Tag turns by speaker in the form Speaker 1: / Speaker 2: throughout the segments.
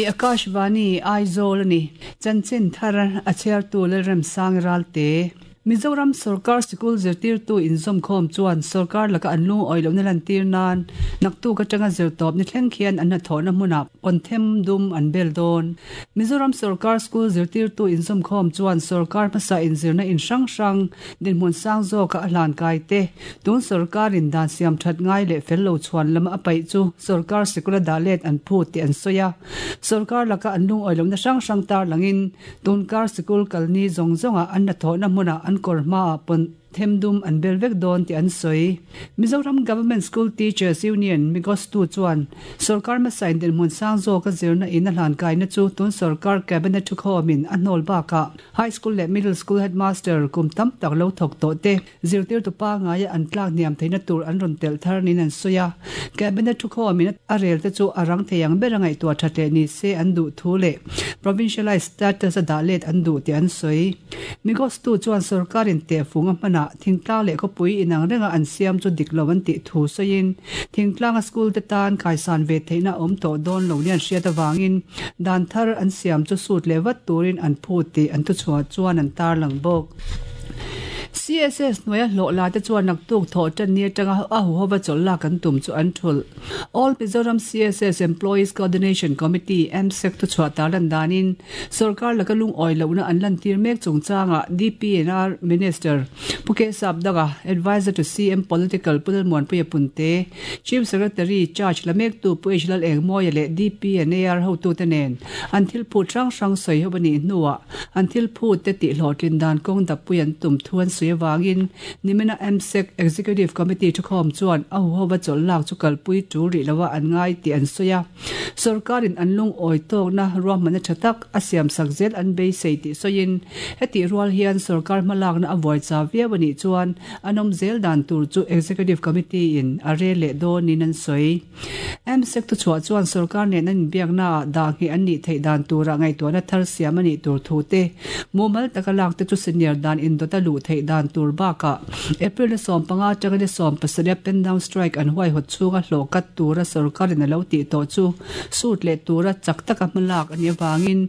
Speaker 1: Akashvani Aizawl a ni. Chanchin thar a chhiartu Lalremsang Ralte. Mizoram sorkar sikul zirtirtu inzawmkhawm chuan sorkar laka an lungawi lohna lantir nan naktuk atanga zirtawp ni thleng khian an hnathawhna hmunah pawnthem dum an bel dawn. Mizoram sorkar school zirtirtu inzawmkhawm chuan sorkar hmasa inzirna in hrang hrang dinhmun sang zawka a hlan kai te, tun sorkarin dan siam that ngai leh fel lo chhuan lama a paih chu sorkar sikula dah let an phut tih an sawi a. Sorkar laka an lungawi lohna hrang hrang tarlangin tunkar sikul kalni zawng zawngah an hnathawhna hmunah an kawr hmaah pawn them dum an bel vek dawn tih an sawi. Mizoram Government School Teachers Union, Migostu, chuan sorkar hmasa in dinhmun sang zawka zirna in a hlan kaina chu tun sorkar Cabinet thukhawmin a hnawl bakah High School leh Middle School Headmaster kum tam tak lo thawk tawh te zirtirtu pangaia an tlak hniam theihna tur an rawn telh thar niin an sawi a. Cabinet thukhawmin a rel te chu a rang thei ang bera ngaihtuah that leh ni se an duh thu leh Provincialised status a dah let an duh tih an sawi. Migostu chuan sorkarin tehfung a hmanah thingtlang leh khawpui inang renga an siam chu dik lo an tih thu sawiin thingtlanga school te tan khaisan ve theihna a awm tawh dawn lo nia an hriat avangin dan thar an siam chu sut leh vat turin an phut tih an thuchhuah chuan an tarlang bawk. CSS hnuaia hlawh la te chuan naktuk thawh tan ni atanga a huhova chawlh lak an tum chu an thulh. All Mizoram CSS Employees Coordination Committee, MSEC, thuchhuah tarlan danin Sorkar laka lungawi lohna an lantir mek chungchangah DPNR Minister Pu K Sapdanga, Adviser to CM Political Pu Lalmuanpuia Punte, Chief Secretary Charge la mektu Pu H Lalengmawia leh DPNAR hotute nen an thil phut hrang hrang sawi ho a nih hnuah an thil phut te tihhlawhtlin dan kawng dappui an tum thu an sawi avangin Nimina MSEC Executive Committee thukhawm chuan a huhova chawlh lak chu kalpui tul rih loa an ngai tih an sawi a. Sorkarin an lungawi tawkna ruahmanna tha tak a siamsak zel an beisei tih sawiin, hetih rual hian sorkar hmalakna a vuai chau viau a nih chuan an awm zel dan tur chu Executive Committee-in a rel leh dawnin an sawi. MSEC thuchhuah chuan sorkar nen an inbiaknaah dah ngheh an nih theih dan turah ngaihtuahna thar siam a nih tur thu te, mumal taka lak te chu senior dan indawt a luh theih dan tur bakah April ni 15 atanga ni 17 a pen down strike an huaihawt chhunga hlawh kat tura sorkarin a lo tih tawh chu sut leh tura chak taka hmalak a nih avangin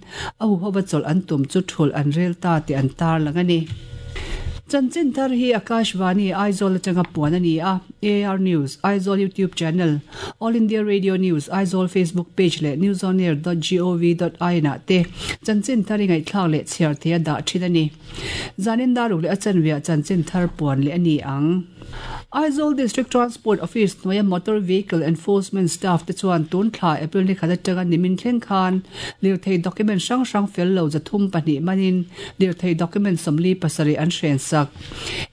Speaker 1: a huhova chawlh an tum chu thulh an rel ta tih an tarlang a ni. Chanchin thar hi Akashvani Aizawl atanga puan a ni a, AR News, Aizawl YouTube channel, All India Radio News, Aizawl Facebook page leh newsonair dot gov dot in ah te chanchin thar i ngaihthlak leh chhiar thei a dah thin a ni. Zanin daruk leh a chanveah chanchin thar puan leh a ni ang. Aizawl District Transport Office hnuaia Motor Vehicle Enforcement Staff te chuan tun thla April ni khat atanga nimin thleng khan lirthei document hrang hrang fel lo 302 manin lirthei document 47 an hren sak.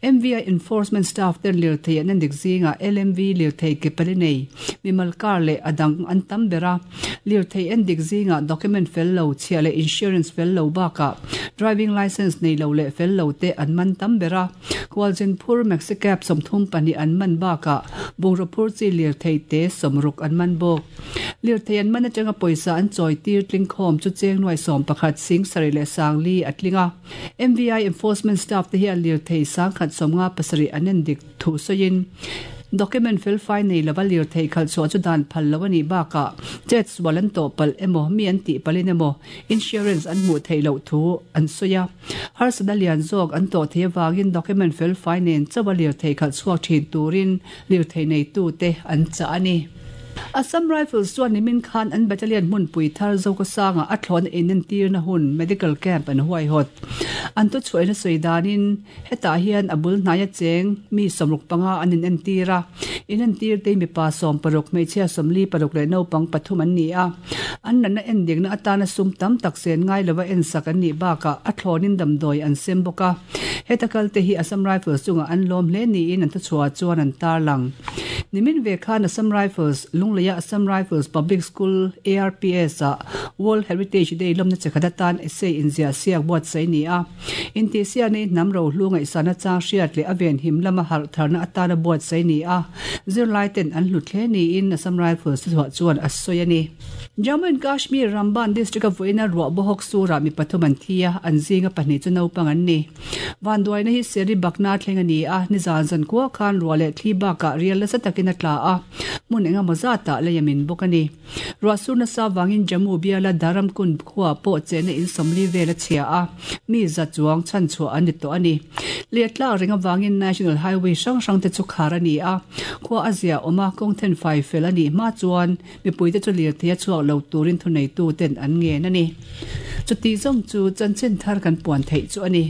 Speaker 1: MVI Enforcement Staff ten lirthei an endik zingah LMV lirthei ke pali nei, mimal car leh a dang an tam ber a. Lirthei endik zingah document fel lo, chhiah leh insurance fel lo bakah driving licence nei lo leh fel lo te an man tam ber a. Khualzin phur Maxi Cab 32 an man bakah bungraw phur chi lirthei te 60 an man bawk. Lirthei an man atanga pawisa an chawi tir tling khawm chu cheng nuai 11 sing sarih leh sangli a tling a. MVI Enforcement Staff te hian lirthei 1057 an endik thu sawiin document felfai nei lova lirthei khalh chhuah chu dan phal lo a nih bakah chet sual an tawh palh emaw mi an tih palhin emaw insurance an hmuh theih loh thu an sawi a. Harsatna lian zawk an tawh theih avangin document felfai nen chauha lirthei khalh chhuak thin turin lirthei neitute an chah a ni. Assam Rifles chuan nimin khan an battalion hmunpui thar Zokawsanga a thlawhna inentirna hun medical camp an huaihawt. An thuchhuahina sawi danin hetah hian a bul hnaia cheng mi 65 an inentir a, inentirte hi mipa 16, hmeichhia 46 leh naupang pathum an ni a. An natna endikna atana sum tam tak sen ngai lova ensak an nih bakah a thlawnin damdawi an sem bawk a. Heta kalte hi Assam Rifles chungah an lawm hle niin an thuchhuah chuan an tarlang. Nimin ve khan Assam Rifles, Lungleia Assam Rifles Public School, ARPS, ah World Heritage Day lawmna che khat atan essay inziah siak buatsaih a ni a. Intihsiahna hi hnam rohlu ngaihsana chang hriat leh a venhim lama harh tharna atana buatsaih a ni a, zirlai ten an hlut hle niin Assam Rifles thuchhuah chuan a sawi a ni. Jammu and Kashmir Ramban district-a vawiina ruah bawhawk surah mi pathum an thi a, an zinga pahnih chu naupang an ni. Vanduaina hi Seri Bakna thleng a ni a, nizan zan kua khan ruah leh thli bakah rial nasa takin takin a tla a, hmun eng emaw zatah lei a min bawk a ni. Ruah sur nasa vangin Jammu biala Dharamkund khuaah pawh chenna in 40 vel a chhia a, mi za chuang chhanchhuah an ni tawh a ni. Lei a tlak reng avangin National Highway hrang hrang te chu khar a ni a, khua a zia awm a, kawng thenfai fel a nih hma chuan mipuite chu lirthei a chhuak lo turin thuneitu ten an ngen a ni. Chuti zawng chu chanchin thar kan puan theih chu a ni.